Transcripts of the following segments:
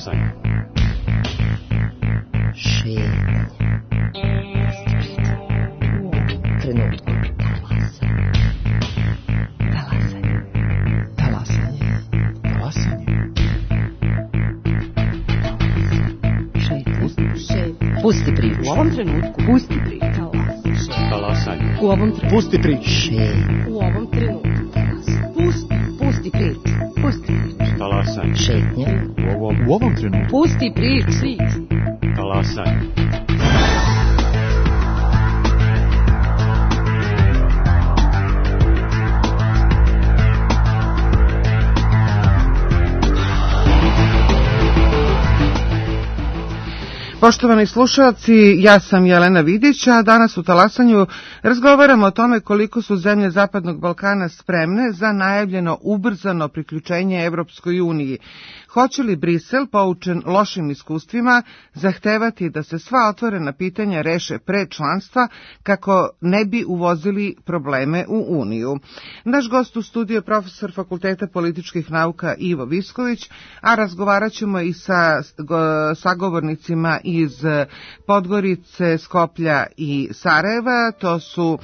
Talasanje. Šetnja. Trenutku. Talasanje. Talasanje. Talasanje. Šetnja. Pusti priču. U ovom trenutku. Pusti priču. Talasanje. U ovom trenutku. Pusti priču. Šetnja. U ovom trenutku. Pusti priču. Pusti priču. Talasanje. Šetnja. U ovom trenutku. Pusti priču. Talasanje. Poštovani slušalci, ja sam Jelena Vidić, a danas u Talasanju razgovaramo o tome koliko su zemlje Zapadnog Balkana spremne za najavljeno ubrzano priključenje Evropskoj uniji. Hoće li Brisel, poučen lošim iskustvima, zahtevati da se sva otvorena pitanja reše pre članstva kako ne bi uvozili probleme u Uniju? Naš gost u studiju je profesor Fakulteta političkih nauka Ivo Visković, a razgovarat ćemo i sa sagovornicima iz Podgorice, Skoplja i Sarajeva. To su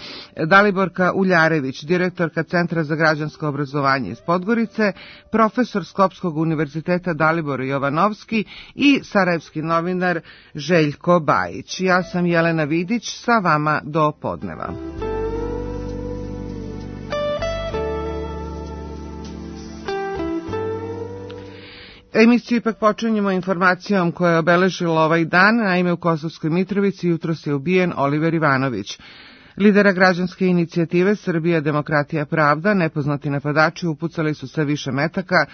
Daliborka Uljarević, direktorka Centra za građansko obrazovanje iz Podgorice, profesor Skopskog univerziteta Dalibor Jovanovski i sarajevski novinar Željko Bajić. Ja sam Jelena Vidić, sa vama do podneva. Emisiju ipak počinjemo informacijom koja je obeležila ovaj dan. Naime, u Kosovskoj Mitrovici jutros je ubijen Oliver Ivanović. Lidera građanske inicijative Srbija, demokratija, pravda, nepoznati napadači upucali su sve više metaka.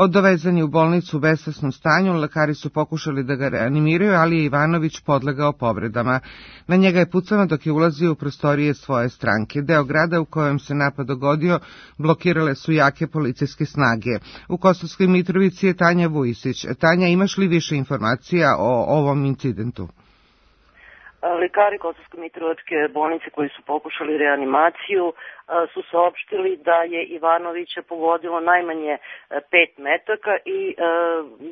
Dovezan je u bolnicu u besvesnom stanju, lekari su pokušali da ga reanimiraju, ali je Ivanović podlegao povredama. Na njega je pucano dok je ulazio u prostorije svoje stranke. Deo grada u kojem se napad dogodio blokirale su jake policijske snage. U Kosovskoj Mitrovici je Tanja Vujisić. Tanja, imaš li više informacija o ovom incidentu? Lekari Kosovske Mitrovačke bolnice koji su pokušali reanimaciju su saopštili da je Ivanovića pogodilo najmanje 5 metaka i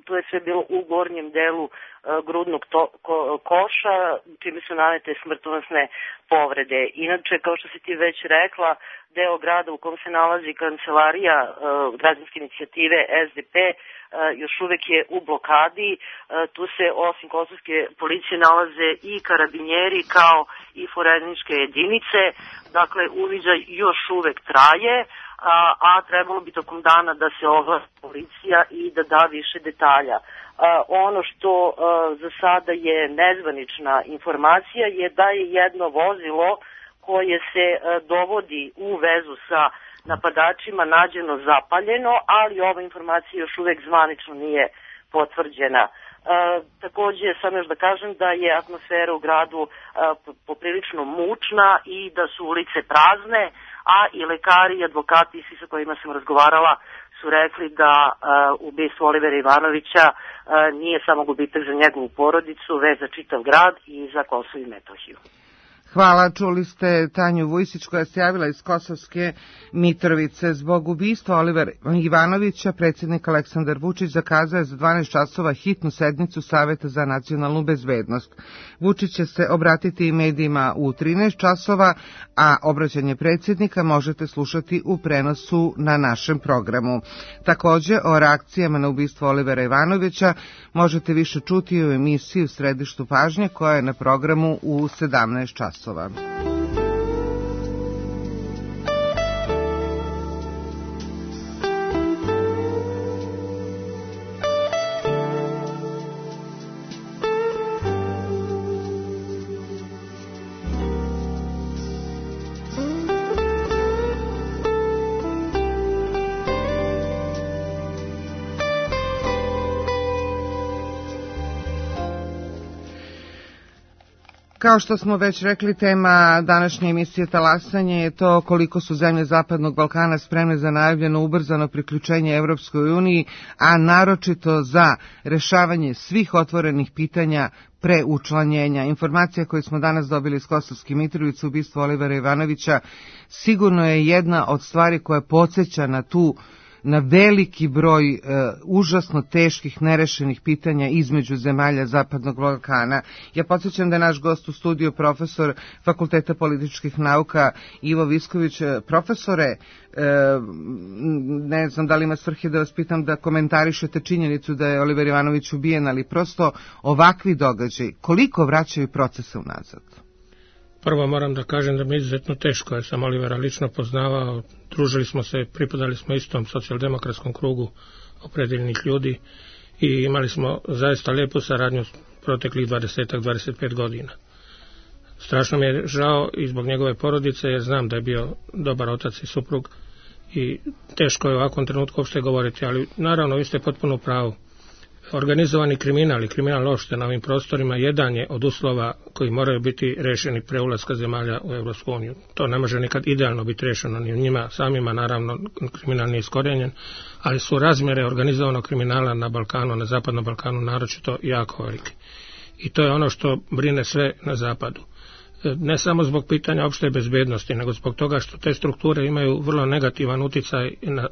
to je sve bilo u gornjem delu grudnog koša, čime su nanete smrtonosne povrede. Inače, kao što si ti već rekla, deo grada u kom se nalazi kancelarija građanske inicijative SDP još uvek je u blokadi. Tu se osim kosovske policije nalaze i karabinjeri kao i forenzičke jedinice. Dakle, uviđaj još uvek traje, a trebalo bi tokom dana da se oglasi policija i da da više detalja. Ono što za sada je nezvanična informacija je da je jedno vozilo koje se dovodi u vezu sa napadačima nađeno zapaljeno, ali ova informacija još uvek zvanično nije potvrđena. Takođe, sam još da kažem da je atmosfera u gradu poprilično mučna i da su ulice prazne, a i lekari i advokati svi sa kojima sam razgovarala su rekli da ubistvo Olivera Ivanovića nije samo gubitak za njegovu porodicu, već za čitav grad i za Kosovo i Metohiju. Hvala, čuli ste Tanju Vujsić koja se javila iz Kosovske Mitrovice. Zbog ubistva Olivera Ivanovića predsjednik Aleksandar Vučić zakazao je za 12 časova hitnu sednicu Saveta za nacionalnu bezbednost. Vučić će se obratiti i medijima u 13 časova, a obraćanje predsjednika možete slušati u prenosu na našem programu. Također, o reakcijama na ubistvo Olivera Ivanovića možete više čuti u emisiji U središtu pažnje koja je na programu u 17 časova. Kao što smo već rekli, tema današnje emisije Talasanje je to koliko su zemlje Zapadnog Balkana spremne za najavljeno ubrzano priključenje Evropskoj uniji, a naročito za rešavanje svih otvorenih pitanja pre učlanjenja. Informacija koju smo danas dobili iz Kosovske Mitrovice, ubistvo Olivera Ivanovića, sigurno je jedna od stvari koja podsjeća na tu na veliki broj užasno teških nerešenih pitanja između zemalja Zapadnog Balkana. Ja podsjećam da je naš gost u studiju profesor Fakulteta političkih nauka Ivo Visković. Profesore, ne znam da li ima svrhe da vas pitam da komentarišete činjenicu da je Oliver Ivanović ubijen, ali prosto ovakvi događaj, koliko vraćaju procese unazad? Prvo moram da kažem da mi je izuzetno teško, jer sam Olivera lično poznavao, družili smo se, pripadali smo istom socijaldemokratskom krugu opredeljenih ljudi i imali smo zaista lijepu saradnju proteklih 20-25 godina. Strašno mi je žao i zbog njegove porodice, jer znam da je bio dobar otac i suprug i teško je u ovakvom trenutku uopšte govoriti, ali naravno vi ste potpuno u pravu. Organizovani kriminal i kriminal uopšte na ovim prostorima jedan je od uslova koji moraju biti rešeni pre ulaska zemalja u Evropsku uniju. To ne može nikad idealno biti rešeno ni u njima samima, naravno kriminal nije iskorijenjen, ali su razmjere organizovanog kriminala na Balkanu, na Zapadnom Balkanu naročito jako velike. I to je ono što brine sve na zapadu. Ne samo zbog pitanja opšte bezbednosti, nego zbog toga što te strukture imaju vrlo negativan uticaj na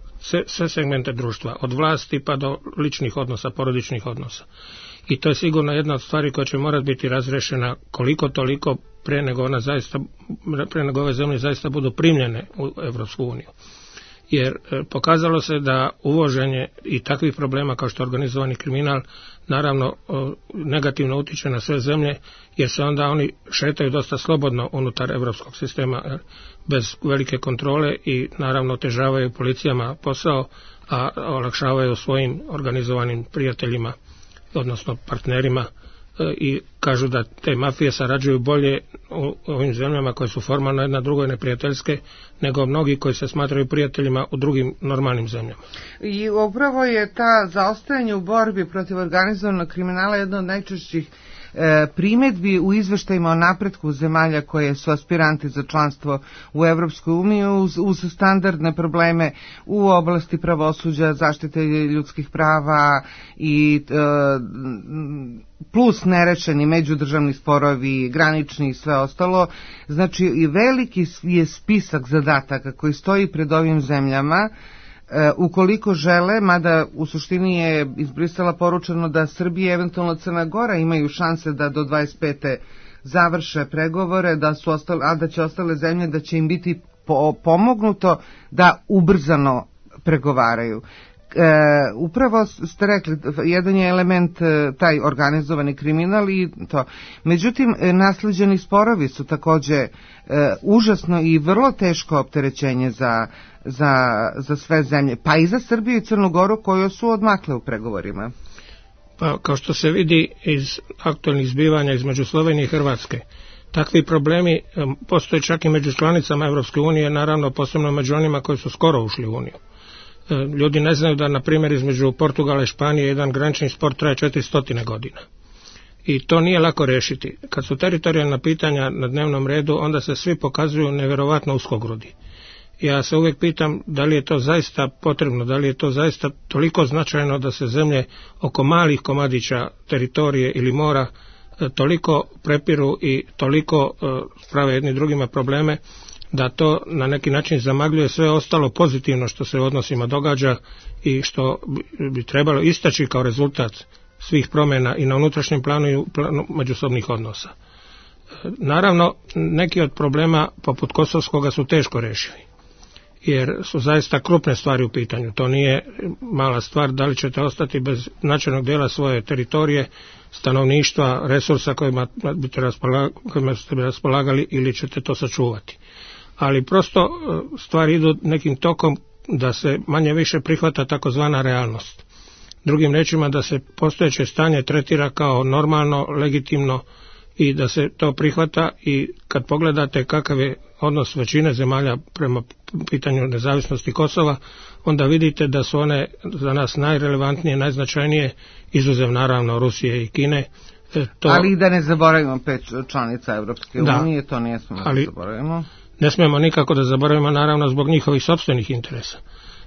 sve segmente društva, od vlasti pa do ličnih odnosa, porodičnih odnosa. I to je sigurno jedna od stvari koja će morati biti razrešena koliko toliko pre nego ove zemlje zaista budu primljene u Evropsku uniju. Jer pokazalo se da uvoženje i takvih problema kao što je organizovani kriminal naravno negativno utiče na sve zemlje, jer se onda oni šetaju dosta slobodno unutar evropskog sistema bez velike kontrole i naravno otežavaju policijama posao, a olakšavaju svojim organizovanim prijateljima, odnosno partnerima, i kažu da te mafije sarađuju bolje u ovim zemljama koje su formalno jedna drugoj neprijateljske nego mnogi koji se smatraju prijateljima u drugim normalnim zemljama. I upravo je ta zaostajanje u borbi protiv organizovanog kriminala jedna od najčešćih primjedbi u izveštajima o napretku zemalja koje su aspiranti za članstvo u Evropskoj uniji uz standardne probleme u oblasti pravosuđa, zaštite ljudskih prava i plus nerešeni međudržavni sporovi, granični i sve ostalo. Znači i veliki je spisak zadataka koji stoji pred ovim zemljama ukoliko žele, mada u suštini je iz Brisela poručeno da Srbija, eventualno Crna Gora imaju šanse da do 25. završe pregovore, da će ostale zemlje da će im biti pomognuto da ubrzano pregovaraju. Upravo ste rekli, jedan je element taj organizovani kriminal i to. Međutim, nasleđeni sporovi su takođe užasno i vrlo teško opterećenje za sve zemlje, pa i za Srbiju i Crnu Goru koje su odmakle u pregovorima. Pa kao što se vidi iz aktualnih zbivanja između Slovenije i Hrvatske, takvi problemi postoje čak i među članicama Evropske unije, naravno posebno među onima koji su skoro ušli u uniju. Ljudi ne znaju da, na primjer, između Portugala i Španije jedan granični spor traje 400 godina. I to nije lako rešiti. Kad su teritorijalna pitanja na dnevnom redu, onda se svi pokazuju nevjerovatno uskogrudi. Ja se uvijek pitam da li je to zaista potrebno, da li je to zaista toliko značajno da se zemlje oko malih komadića teritorije ili mora toliko prepiru i toliko prave jedni drugima probleme, da to na neki način zamagljuje sve ostalo pozitivno što se u odnosima događa i što bi trebalo istaći kao rezultat svih promjena i na unutrašnjem planu i u planu međusobnih odnosa. Naravno, neki od problema poput Kosovskoga su teško rešivi, jer su zaista krupne stvari u pitanju. To nije mala stvar, da li ćete ostati bez značajnog dijela svoje teritorije, stanovništva, resursa kojima ste raspolagali ili ćete to sačuvati. Ali prosto stvari idu nekim tokom da se manje više prihvata takozvana realnost. Drugim rečima da se postojeće stanje tretira kao normalno, legitimno i da se to prihvata, i kad pogledate kakav je odnos većine zemalja prema pitanju nezavisnosti Kosova, onda vidite da su one za nas najrelevantnije, najznačajnije, izuzev naravno Rusije i Kine. Ali i da ne zaboravimo 5 članica Evropske unije, to ne smemo da zaboravimo. Ne smijemo nikako da zaboravimo, naravno, zbog njihovih sopstvenih interesa.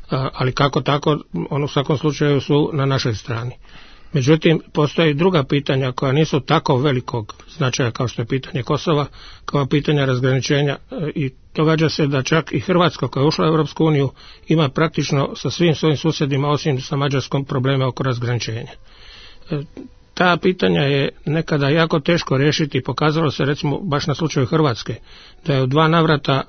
Ali kako tako, on u svakom slučaju su na našoj strani. Međutim, postoje i druga pitanja koja nisu tako velikog značaja kao što je pitanje Kosova, kao pitanja razgraničenja i događa se da čak i Hrvatska koja je ušla u Europsku uniju ima praktično sa svim svojim susjedima osim sa Mađarskom probleme oko razgraničenja. Ta pitanja je nekada jako teško riješiti. Pokazalo se recimo baš na slučaju Hrvatske da je u 2 navrata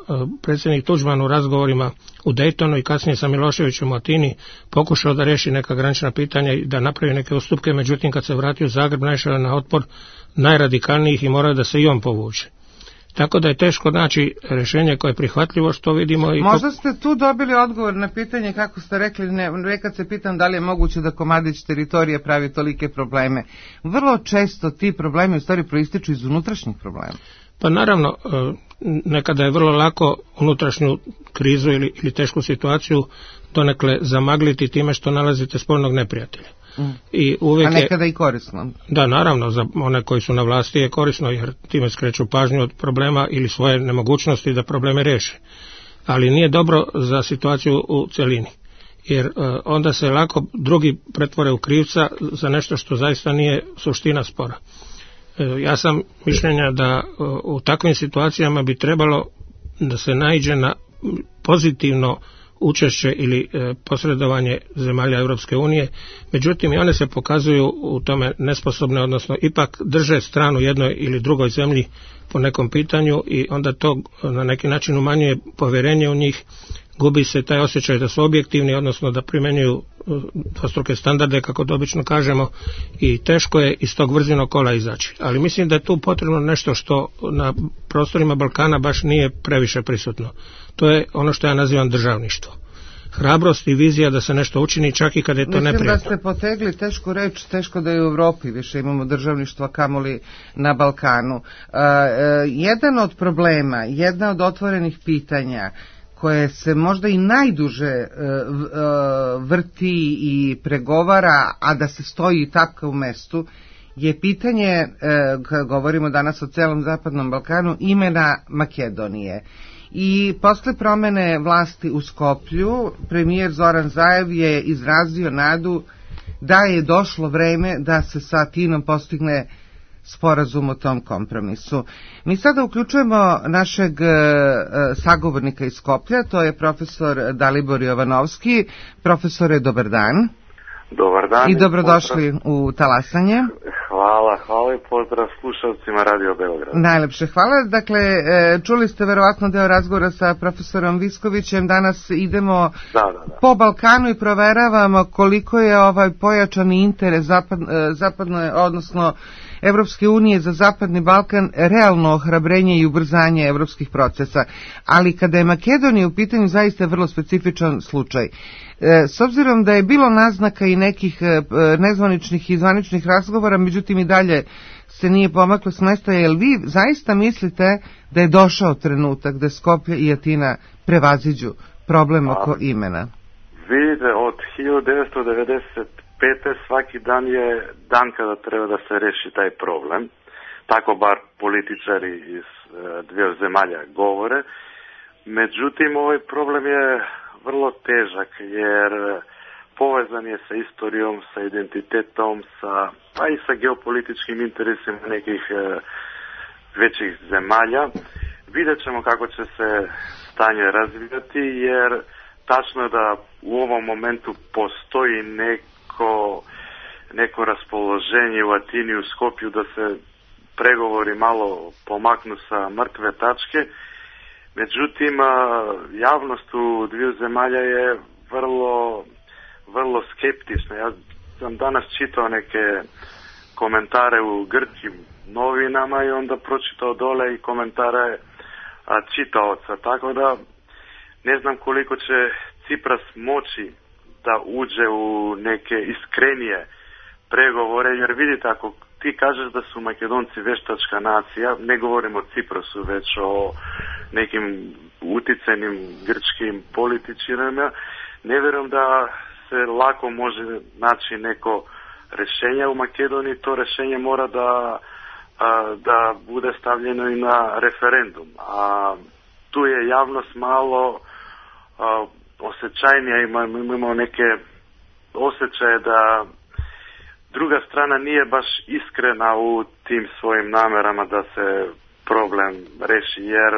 predsjednik Tuđman u razgovorima u Daytonu i kasnije sa Miloševićem u Atini pokušao da riješi neka granična pitanja i da napravi neke ustupke, međutim kad se vratio u Zagreb naišao je na otpor najradikalnijih i morao da se i on povuče. Tako da je teško naći rješenje koje je prihvatljivo, što vidimo. Možda ste tu dobili odgovor na pitanje, kako ste rekli, nekad se pitam da li je moguće da komadić teritorije pravi tolike probleme. Vrlo često ti problemi u stvari proističu iz unutrašnjih problema. Pa naravno, nekada je vrlo lako unutrašnju krizu ili tešku situaciju donekle zamagliti time što nalazite spoljnog neprijatelja. I uvijek a nekada i korisno. Da, naravno, za one koji su na vlasti je korisno jer time skreću pažnju od problema ili svoje nemogućnosti da probleme riješe. Ali nije dobro za situaciju u cjelini. Jer onda se lako drugi pretvore u krivca za nešto što zaista nije suština spora. Ja sam mišljenja da u takvim situacijama bi trebalo da se naiđe na pozitivno učešće ili posredovanje zemalja Europske unije, međutim i one se pokazuju u tome nesposobne, odnosno ipak drže stranu jednoj ili drugoj zemlji po nekom pitanju i onda to na neki način umanjuje povjerenje u njih, gubi se taj osjećaj da su objektivni, odnosno da primjenjuju dvostruke standarde, kako to obično kažemo, i teško je iz tog vrzinog kola izaći. Ali mislim da je tu potrebno nešto što na prostorima Balkana baš nije previše prisutno. To je ono što ja nazivam državništvo. Hrabrost i vizija da se nešto učini čak i kad je to neprijatno. Mislim da ste potegli tešku reč, teško da je u Europi više imamo državništva kamoli na Balkanu. Jedan od problema, jedna od otvorenih pitanja koje se možda i najduže vrti i pregovara, a da se stoji i tapka u mestu, je pitanje, kad govorimo danas o celom Zapadnom Balkanu, imena Makedonije. I posle promene vlasti u Skoplju, premijer Zoran Zaev je izrazio nadu da je došlo vreme da se sa Atinom postigne sporazum o tom kompromisu. Mi sada uključujemo našeg sagovornika iz Skoplja, to je profesor Dalibor Jovanovski. Profesore, dobar dan. Dobar dan. I dobrodošli u Talasanje. Hvala i pozdrav slušalcima Radio Beograd. Najlepše hvala. Dakle, čuli ste verovatno deo razgovora sa profesorom Viskovićem. Danas idemo po Balkanu i proveravamo koliko je ovaj pojačani interes zapadno, odnosno Evropske unije za Zapadni Balkan realno ohrabrenje i ubrzanje evropskih procesa. Ali kada je Makedonija u pitanju, zaista je vrlo specifičan slučaj. S obzirom da je bilo naznaka i nekih nezvaničnih i zvaničnih razgovora, međutim i dalje se nije pomaklo s mesta, jel vi zaista mislite da je došao trenutak da Skoplje i Atina prevaziđu problem oko imena? Vidite, od 1995. svaki dan je dan kada treba da se reši taj problem. Tako bar političari iz dvije zemalja govore. Međutim, ovaj problem je vrlo težak jer povezan je sa istorijom, sa identitetom, pa i sa geopolitičkim interesima nekih većih zemalja. Vidjet ćemo kako će se stanje razvijati jer tačno je da u ovom momentu postoji neko raspoloženje u Atini i u Skopju da se pregovori malo pomaknu sa mrtve tačke. Međutim, javnost u dviju zemalja je vrlo skeptična. Ja sam danas čitao neke komentare u grčkim novinama i onda pročitao dole i komentare čitaoca. Tako da ne znam koliko će Cipras moći da uđe u neke iskrenije pregovore, jer vidite, ako ti kažeš da su Makedonci veštačka nacija, ne govorimo o Ciprasu, već o nekim uticajnim grčkim političarima, ne vjerujem da se lako može naći neko rješenje u Makedoniji. To rješenje mora da bude stavljeno i na referendum. A tu je javnost malo osjećajnija, imamo neke osjećaje druga strana nije baš iskrena u tim svojim namerama da se problem reši, jer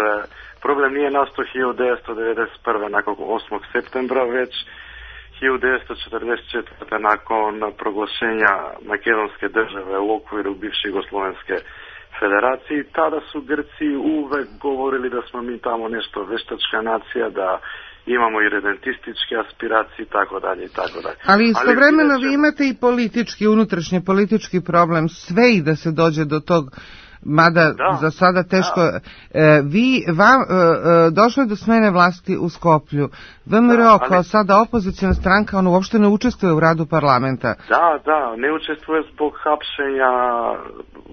problem nije nastao 1991. nakon 8. septembra, već 1944. nakon proglašenja makedonske države u okviru bivše Jugoslovenske federacije. Tada su Grci uvek govorili da smo mi tamo nešto veštačka nacija, da imamo i redentističke aspiracije i tako dalje i tako dalje. Ali istovremeno vi imate i politički, unutrašnji politički problem, sve i da se dođe do tog, mada za sada teško. Došlo je do smene vlasti u Skoplju. VMRO kao sada opozicijna stranka, on uopšte ne učestvuje u radu parlamenta. Da, ne učestvuje zbog hapšenja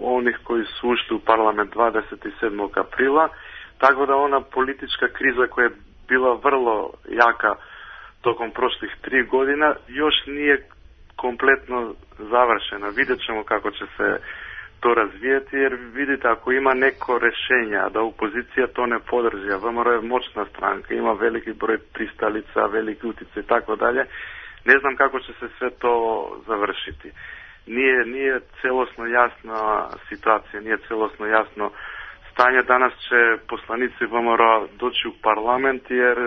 onih koji su ušli u parlament 27. aprila, tako da ona politička kriza koja je bila vrlo jaka tokom prošlih 3 godina još nije kompletno završena. Vidjet ćemo kako će se to razvijeti, jer vidite, ako ima neko rješenja da opozicija to ne podrži, a VMRO je moćna stranka, ima veliki broj pristalica, veliki utjecaj i tako dalje, ne znam kako će se sve to završiti. Nije celosno jasna situacija, nije celosno jasno stanje. Danas će poslanici VMRO doći u parlament, jer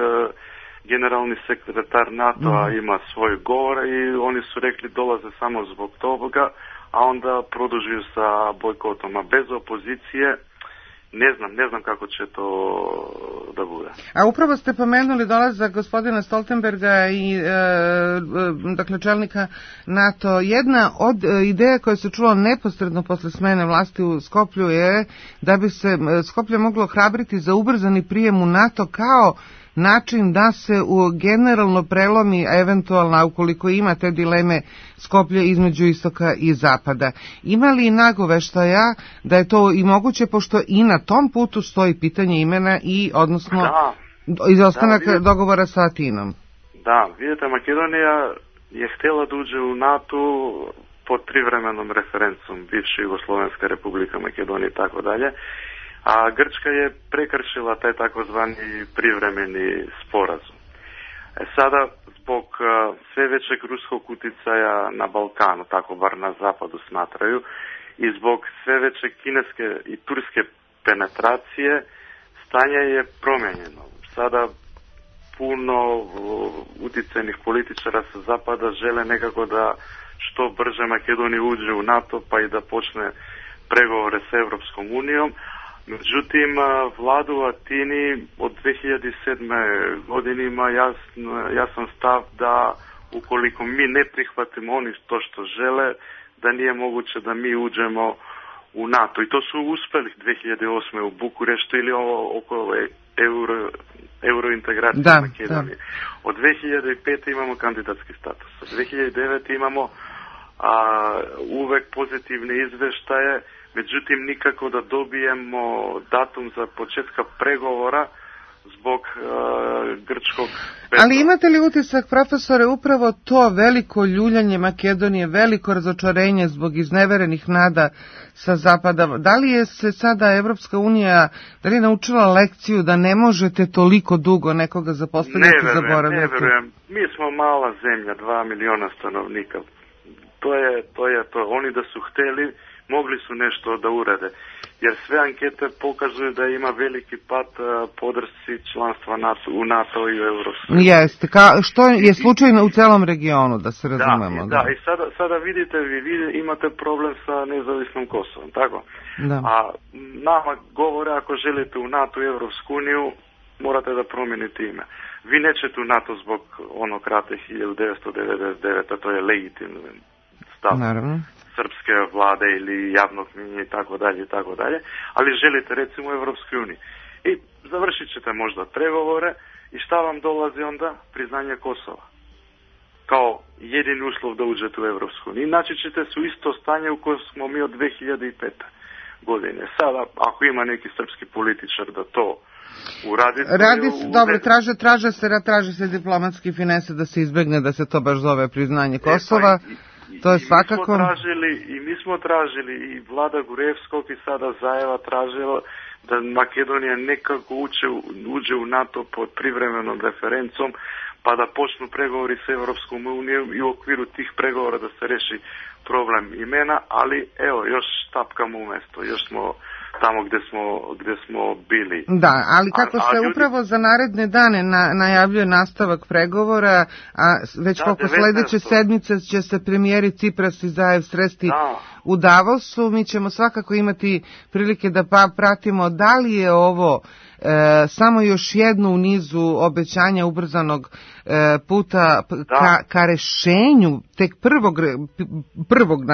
generalni sekretar NATO-a ima svoj govor i oni su rekli dolaze samo zbog toga, a onda produžuju sa bojkotom. A bez opozicije ne znam kako će to da bude. A upravo ste pomenuli dolazak gospodina Stoltenberga i dakle čelnika NATO. Jedna od ideja koja se čula neposredno posle smene vlasti u Skoplju je da bi se Skoplje moglo ohrabriti za ubrzani prijem u NATO kao način da se generalno prelomi, eventualno ukoliko ima te dileme, Skoplje između istoka i zapada. Ima li nagoveštaja da je to i moguće, pošto i na tom putu stoji pitanje imena i odnosno izostanak dogovora sa Atinom? Da, vidite, Makedonija je htjela da uđe u NATO pod privremenom referencom bivše Jugoslovenska republika Makedonija i tako dalje. A Grčka je prekršila taj takozvani privremeni sporazum. Sada, zbog sve većeg ruskog utjecaja na Balkanu, tako bar na zapadu smatraju, i zbog sve veće kineske i turske penetracije, stanje je promijenjeno. Sada puno utjecajnih političara sa zapada žele nekako da što brže Makedonija uđe u NATO, pa i da počne pregovore s Europskom unijom. Međutim, vlada u Atini od 2007. godine ima jasan stav da ukoliko mi ne prihvatimo oni to što žele, da nije moguće da mi uđemo u NATO. I to su uspjeli 2008. u Bukureštu ili oko eurointegracije Makedonije. Od 2005. imamo kandidatski status. Od 2009. imamo uvek pozitivne izveštaje, međutim nikako da dobijemo datum za početka pregovora zbog grčkog veto. Ali imate li utisak, profesore, upravo to veliko ljuljanje Makedonije, veliko razočarenje zbog izneverenih nada sa zapada, da li je se sada Evropska unija, da li je naučila lekciju da ne možete toliko dugo nekoga zapostaviti i zaboraviti? Ne verujem, mi smo mala zemlja, 2 miliona stanovnika, to je to. Oni da su hteli, mogli su nešto da urade, jer sve ankete pokazuju da ima veliki pad podršci članstva u NATO i u Evropskoj. Jeste, što je slučajno u celom regionu, da se razumemo. Da, i sada vidite, vi imate problem sa nezavisnom Kosovom, tako? Da. A nama govore, ako želite u NATO i Evropsku uniju, morate da promijenite ime. Vi nećete u NATO zbog onog rata 1999, a to je legitimno stav. Naravno. Srpske vlade ili javnog mnjenja i tako dalje, ali želite recimo u Evropskoj uniji. I završit ćete možda pregovore i šta vam dolazi onda? Priznanje Kosova. Kao jedini uslov da uđete u Evropsku uniju. Inače ćete se u isto stanje u kojem smo mi od 2005. godine. Sada, ako ima neki srpski političar da to uradi... Dobro, traže se diplomatski finese da se izbegne da se to baš zove priznanje Kosova. To je svakako... Mi smo tražili i vlada Gurevskog i sada Zajeva tražila da Makedonija nekako uđe u NATO pod privremenom referencom, pa da počnu pregovori sa Europskom unijom i u okviru tih pregovora da se reši problem imena, ali evo, još tapkamo u mesto, još smo tamo gde smo bili. Da, ali kako se upravo za naredne dane najavljuje nastavak pregovora, a već koliko sledeće sedmice će se premijeri Cipras i Zaev sresti u Davosu, mi ćemo svakako imati prilike da pratimo da li je ovo samo još jedno u nizu obećanja ubrzanog puta ka rešenju tek prvog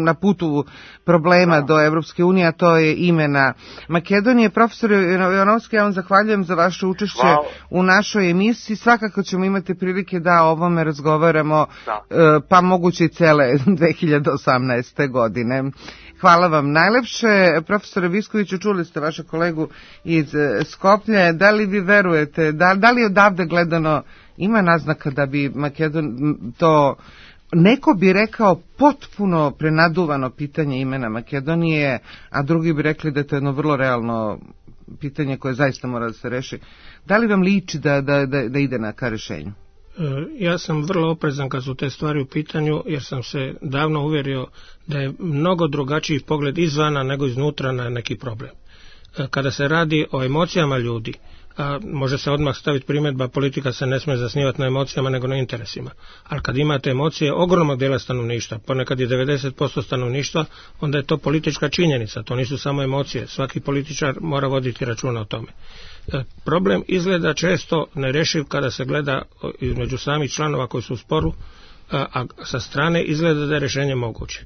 na putu problema do Evropske unije, a to je imena Makedonije. Profesor Jovanovski, ja vam zahvaljujem za vaše učešće u našoj emisiji. Svakako ćemo imati prilike da o ovome razgovaramo, pa moguće i cele 2018. godine. Hvala vam najlepše. Profesore Viskoviću, čuli ste vaše kolegu iz Skoplje. Da li vi verujete, da li odavde gledano ima naznaka da bi to, neko bi rekao, potpuno prenaduvano pitanje imena Makedonije, a drugi bi rekli da je to jedno vrlo realno pitanje koje zaista mora da se reši. Da li vam liči da ide ka rešenju? Ja sam vrlo oprezan kad su te stvari u pitanju, jer sam se davno uvjerio da je mnogo drugačiji pogled izvana nego iznutra na neki problem. Kada se radi o emocijama ljudi, može se odmah staviti primjedba, politika se ne smije zasnivati na emocijama nego na interesima. Ali kad imate emocije ogromnog dijela stanovništva, ponekad je 90% stanovništva, onda je to politička činjenica, to nisu samo emocije. Svaki političar mora voditi računa o tome. Problem izgleda često nerešiv kada se gleda između samih članova koji su u sporu, a sa strane izgleda da je rješenje moguće.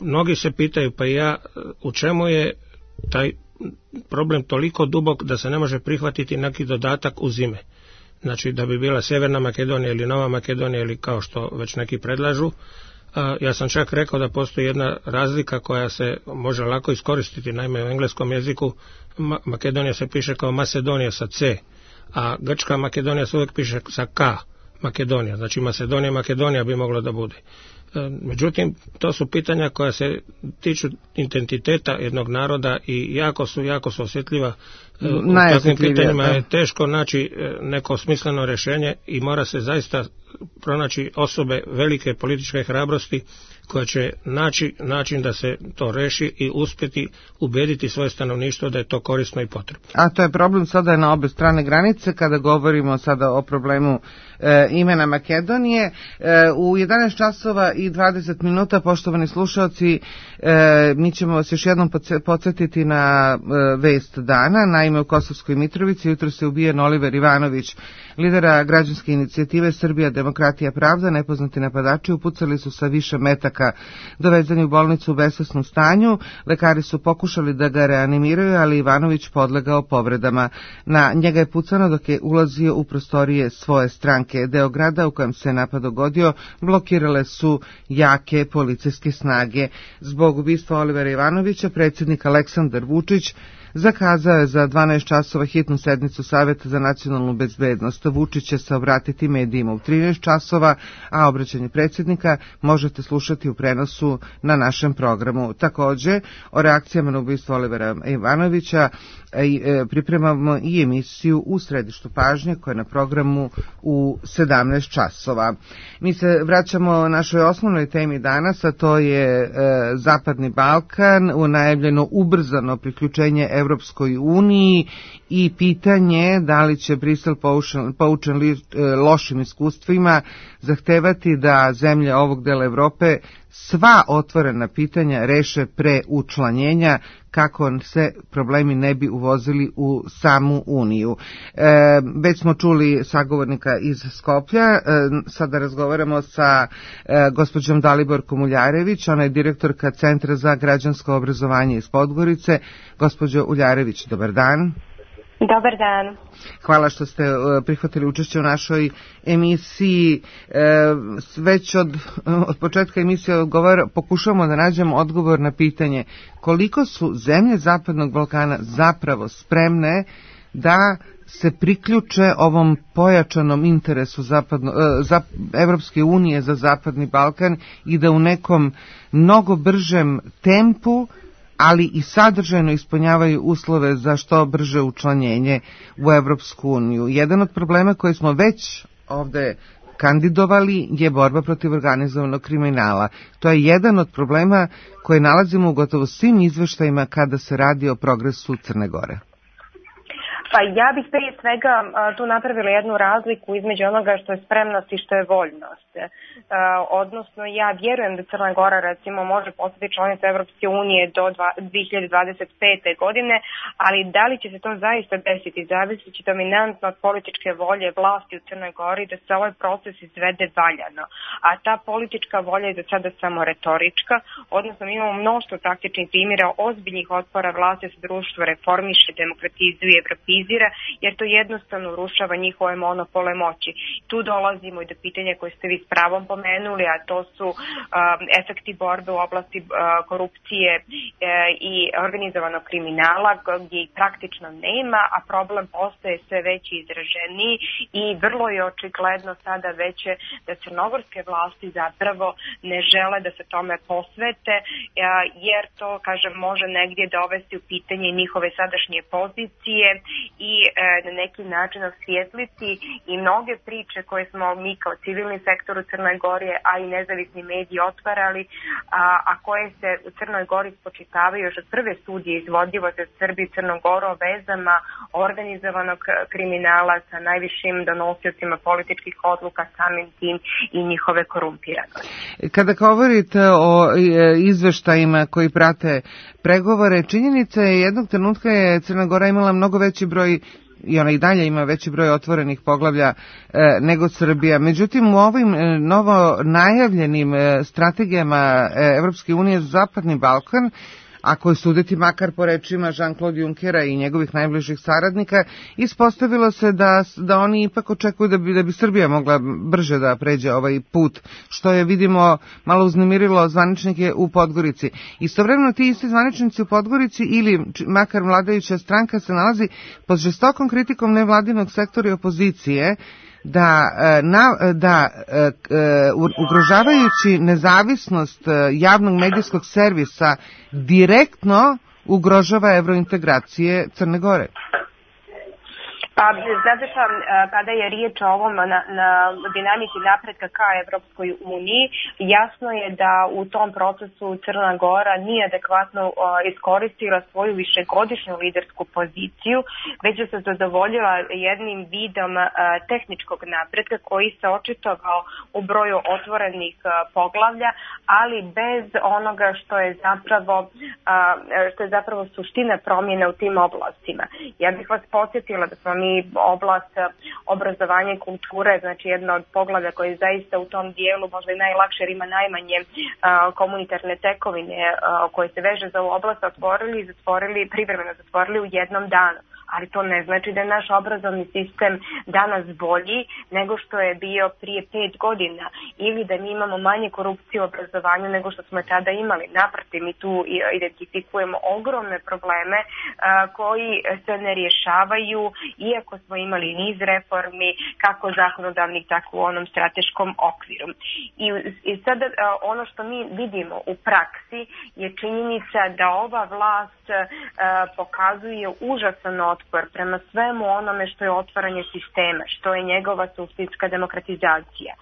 Mnogi se pitaju, pa ja, u čemu je taj problem toliko dubok da se ne može prihvatiti neki dodatak uz ime. Znači da bi bila Sjeverna Makedonija ili Nova Makedonija ili kao što već neki predlažu. Ja sam čak rekao da postoji jedna razlika koja se može lako iskoristiti. Naime, u engleskom jeziku Makedonija se piše kao Macedonija sa C, a grčka Makedonija se uvijek piše sa K, Makedonija. Znači Makedonija bi mogla da bude. Međutim, to su pitanja koja se tiču identiteta jednog naroda i jako su osjetljiva. U takvim pitanjima je teško naći neko smisleno rješenje i mora se zaista pronaći osobe velike političke hrabrosti koja će naći način da se to reši i uspjeti ubediti svoje stanovništvo da je to korisno i potrebno. A to je problem sada na obe strane granice kada govorimo sada o problemu imena Makedonije. U 11 časova i 20 minuta, poštovani slušalci, mi ćemo vas još jednom podsjetiti na vest dana. Naime, u Kosovskoj Mitrovici jutro se ubijen Oliver Ivanović, lidera građanske inicijative Srbija, demokratija, pravda. Nepoznati napadači upucali su sa više metaka, dovezani u bolnicu u besvesnom stanju. Lekari su pokušali da ga reanimiraju, ali Ivanović podlegao povredama. Na njega je pucano dok je ulazio u prostorije svoje stranke. Deo grada u kojem se napad dogodio blokirale su jake policijske snage. Zbog ubistva Olivera Ivanovića predsjednik Aleksandar Vučić zakazao je za 12 časova hitnu sednicu Saveta za nacionalnu bezbednost. Vučić će se obratiti medijima u 13 časova, a obraćanje predsjednika možete slušati u prenosu na našem programu. Također, o reakcijama na ubistvo Olivera Ivanovića pripremamo i emisiju U središtu pažnje koja je na programu u 17 časova. Mi se vraćamo našoj osnovnoj temi danas, a to je Zapadni Balkan, u najavljeno ubrzano priključenje Evropskoj uniji i pitanje da li će Brisel poučen lošim iskustvima zahtevati da zemlje ovog dela Evrope sva otvorena pitanja reše pre učlanjenja kako se problemi ne bi uvozili u samu Uniju. Već smo čuli sagovornika iz Skoplja, sada razgovaramo sa gospođom Daliborkom Uljarević, ona je direktorka Centra za građansko obrazovanje iz Podgorice. Gospođo Uljarević, dobar dan. Dobar dan. Hvala što ste prihvatili učešće u našoj emisiji. Već od početka emisije pokušavamo da nađemo odgovor na pitanje koliko su zemlje Zapadnog Balkana zapravo spremne da se priključe ovom pojačanom interesu Evropske unije za Zapadni Balkan i da u nekom mnogo bržem tempu, ali i sadržajno ispunjavaju uslove za što brže učlanjenje u Evropsku uniju. Jedan od problema koji smo već ovde kandidovali je borba protiv organizovanog kriminala. To je jedan od problema koje nalazimo u gotovo svim izveštajima kada se radi o progresu Crne Gore. Pa ja bih prije svega tu napravila jednu razliku između onoga što je spremnost i što je voljnost. Odnosno, ja vjerujem da Crna Gora recimo može postati članica Evropske unije do 2025. godine, ali da li će se to zaista desiti, zavisit će dominantno od političke volje vlasti u Crnoj Gori da se ovaj proces izvede valjano. A ta politička volja je za sada samo retorička, odnosno mi imamo mnoštvo praktičnih primjera ozbiljnih otpora vlasti da se društvo reformiše, demokratizuje, evropizira, jer to jednostavno urušava njihove monopole moći. Tu dolazimo i do pitanja koje ste vi s pravom pomenuli, a to su efekti borbe u oblasti korupcije i organizovanog kriminala, gdje ih praktično nema, a problem postaje sve veći i izraženiji i vrlo je očigledno sada veće da crnogorske vlasti zapravo ne žele da se tome posvete, jer to, kažem, može negdje dovesti u pitanje njihove sadašnje pozicije i na neki način osvijetliti i mnoge priče koje smo mi kao civilni sektor u Crnoj Gori, a i nezavisni mediji otvarali, a koje se u Crnoj Gori spočitavaju još od prve studije izvodljivosti od Srbije i Crnog Goru o vezama organizovanog kriminala sa najvišim donosiocima političkih odluka, samim tim i njihove korumpiranosti. Kada govorite o izveštajima koji prate pregovore, činjenica je jednog trenutka je Crna Gora imala mnogo veći broj i ona i dalje ima veći broj otvorenih poglavlja nego Srbija. Međutim, u ovim novo najavljenim strategijama Evropske unije za Zapadni Balkan, ako je suditi makar po rečima Jean-Claude Junckera i njegovih najbližih saradnika, ispostavilo se da oni ipak očekuju da bi Srbija mogla brže da pređe ovaj put, što je, vidimo, malo uznemirilo zvaničnike u Podgorici. Istovremeno ti isti zvaničnici u Podgorici ili makar vladajuća stranka se nalazi pod žestokom kritikom nevladinog sektora i opozicije, da ugrožavajući nezavisnost javnog medijskog servisa direktno ugrožava evrointegracije Crne Gore. Pa, znate šta, kada je riječ o ovom na dinamici napretka ka Evropskoj uniji, jasno je da u tom procesu Crna Gora nije adekvatno iskoristila svoju višegodišnju lidersku poziciju, već je se zadovoljila jednim vidom tehničkog napretka koji se očitovao u broju otvorenih poglavlja, ali bez onoga što je zapravo suština promjene u tim oblastima. Ja bih vas podsjetila da smo mi oblast obrazovanja i kulture, znači jedno od poglavlja koje je zaista u tom dijelu možda i najlakše, jer ima najmanje komunitarne tekovine koje se veže za ovu oblast, privremeno zatvorili u jednom danu. Ali to ne znači da je naš obrazovni sistem danas bolji nego što je bio prije 5 godina ili da mi imamo manje korupcije u obrazovanju nego što smo tada imali. Naprotiv, mi tu identifikujemo ogromne probleme koji se ne rješavaju, iako smo imali niz reformi, kako zakonodavnih, tako u onom strateškom okviru. I sada ono što mi vidimo u praksi je činjenica da ova vlast pokazuje užasan otpor prema svemu onome što je otvaranje sistema, što je njegova suštinska demokratizacija.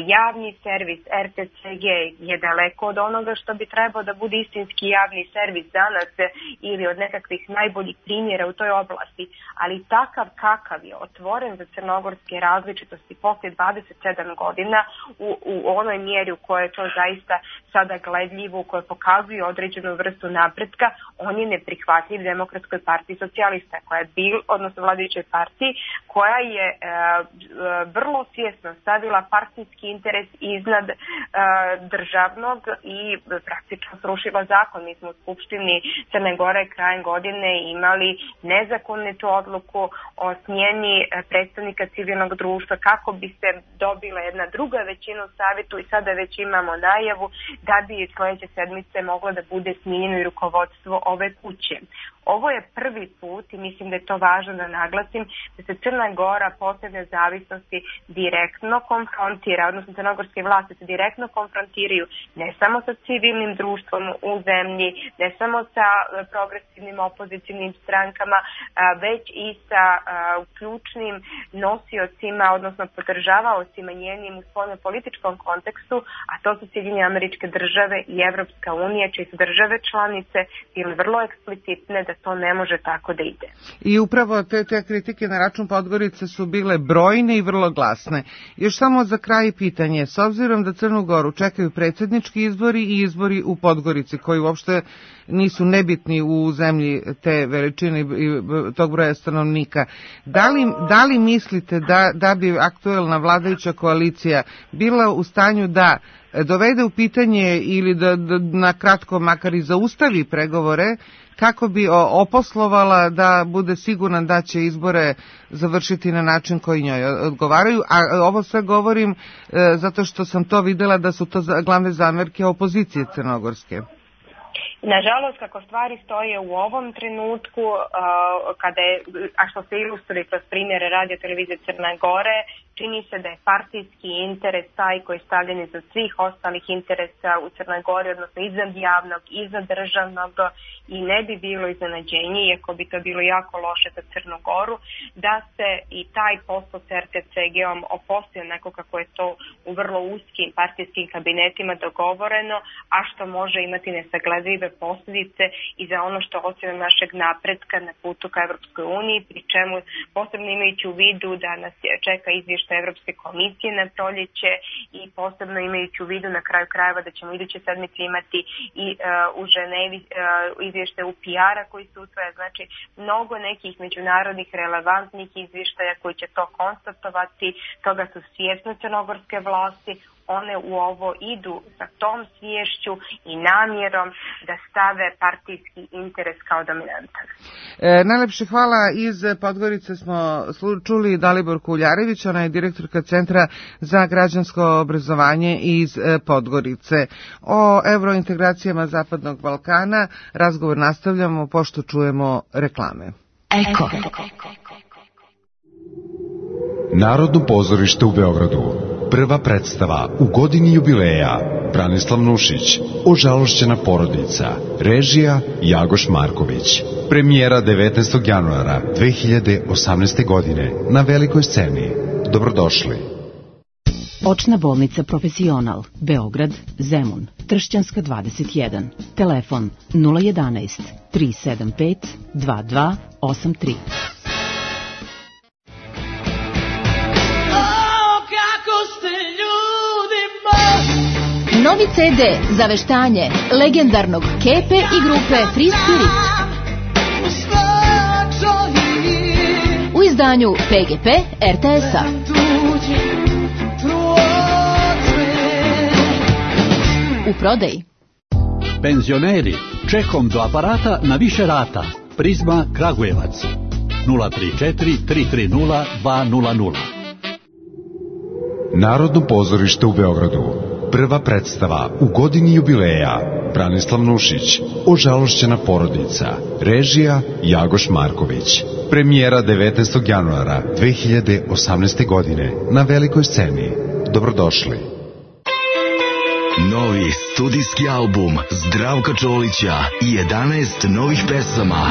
Javni servis RTCG je daleko od onoga što bi trebao da bude istinski javni servis danas ili od nekakvih najboljih primjera u toj oblasti, ali takav kakav je otvoren za crnogorske različitosti poslije 27 godina u onoj mjeri u kojoj je to zaista sada gledljivo, u kojoj pokazuje određenu vrstu napretka, on je neprihvatljiv Demokratskoj partiji socijalista, odnosno vladajućoj partiji, koja je vrlo svjesno stavila partijski interes iznad državnog i praktično srušila zakon. Mi smo u Skupštini Crne Gore krajem godine imali nezakonitu odluku o smjeni predstavnika civilnog društva kako bi se dobila jedna druga većina u savjetu i sada već imamo najavu da bi sljedeće sedmice moglo da bude smijenjeno i rukovodstvo ove kuće. Ovo je prvi put i mislim da je to važno da naglasim da se Crna Gora posle nezavisnosti direktno konfrontira, odnosno crnogorske vlasti se direktno konfrontiraju ne samo sa civilnim društvom u zemlji, ne samo sa progresivnim opozicijnim strankama, već i sa ključnim nosiocima, odnosno podržavaocima njenim u svojom političkom kontekstu, a to su Sjedinjene Američke Države i Evropska unija, čije su države članice bile vrlo eksplicitne da to ne može tako da ide. I upravo te kritike na račun Podgorice su bile brojne i vrlo glasne. Još samo za kraj pitanje, s obzirom da Crnu Goru čekaju predsjednički izbori i izbori u Podgorici, koji uopšte nisu nebitni u zemlji te veličine i tog broja stanovnika, da li mislite da bi aktuelna vladajuća koalicija bila u stanju da dovede u pitanje ili da na kratko makar i zaustavi pregovore kako bi oposlovala da bude sigurna da će izbore završiti na način koji njoj odgovaraju, a ovo sve govorim zato što sam to videla da su to glavne zamerke opozicije crnogorske. Nažalost, kako stvari stoje u ovom trenutku, a što se ilustruje kroz primjere radio televizije Crne Gore, čini se da je partijski interes taj koji je stavljen iza svih ostalih interesa u Crnoj Gori, odnosno iznad javnog, iznad državnog, i ne bi bilo iznenađenje, iako bi to bilo jako loše za Crnu Goru, da se i taj posao s RTCG-om opostio neko kako je to u vrlo uskim partijskim kabinetima dogovoreno, a što može imati nesagledive posljedice i za ono što ocjena našeg napretka na putu ka Evropskoj uniji, pri čemu posebno imajući u vidu da nas čeka izvještaj Evropske komisije na proljeće i posebno imajući u vidu na kraju krajeva da ćemo iduće sedmice imati i u Ženevi izvještaj UPR-a koji se usvaja, znači mnogo nekih međunarodnih relevantnih izvještaja koji će to konstatovati, toga su svjesne crnogorske vlasti, one u ovo idu sa tom sviješću i namjerom da stave partijski interes kao dominantan. Najlepše hvala. Iz Podgorice smo čuli Dalibor Kuljarević, ona je direktorka Centra za građansko obrazovanje iz Podgorice. O evrointegracijama Zapadnog Balkana razgovor nastavljamo pošto čujemo reklame. Eko. Narodno pozorište u Beogradu. Prva predstava u godini jubileja. Branislav Nušić, Ožalošćena porodica. Režija Jagoš Marković. Premijera 19. januara 2018. godine na velikoj sceni. Dobrodošli. Očna bolnica Profesional, Beograd, Zemun, Tršćanska 21. Telefon 011 375 2283. Novi CD za veštanje legendarnog Kepe i grupe Free Spirit. U izdanju PGP RTS-a. U prodaji. Penzioneri, čekom do aparata na više rata. Prizma Kragujevac 034 330 200. Narodno pozorište u Beogradu. Prva predstava u godini jubileja. Branislav Nušić, Ožalošćena porodica. Režija Jagoš Marković. Premijera 19. januara 2018. godine na velikoj sceni. Dobrodošli. Novi studijski album Zdravka Čolića i 11 novih pesama.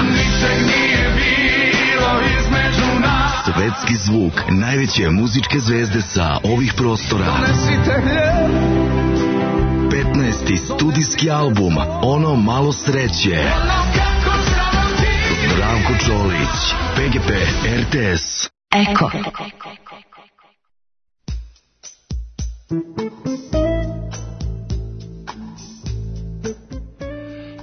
Svetski zvuk najveće muzičke zvezde sa ovih prostora. 15. studijski album Ono malo sreće. Zdravko Čolić, PGP RTS. Eko.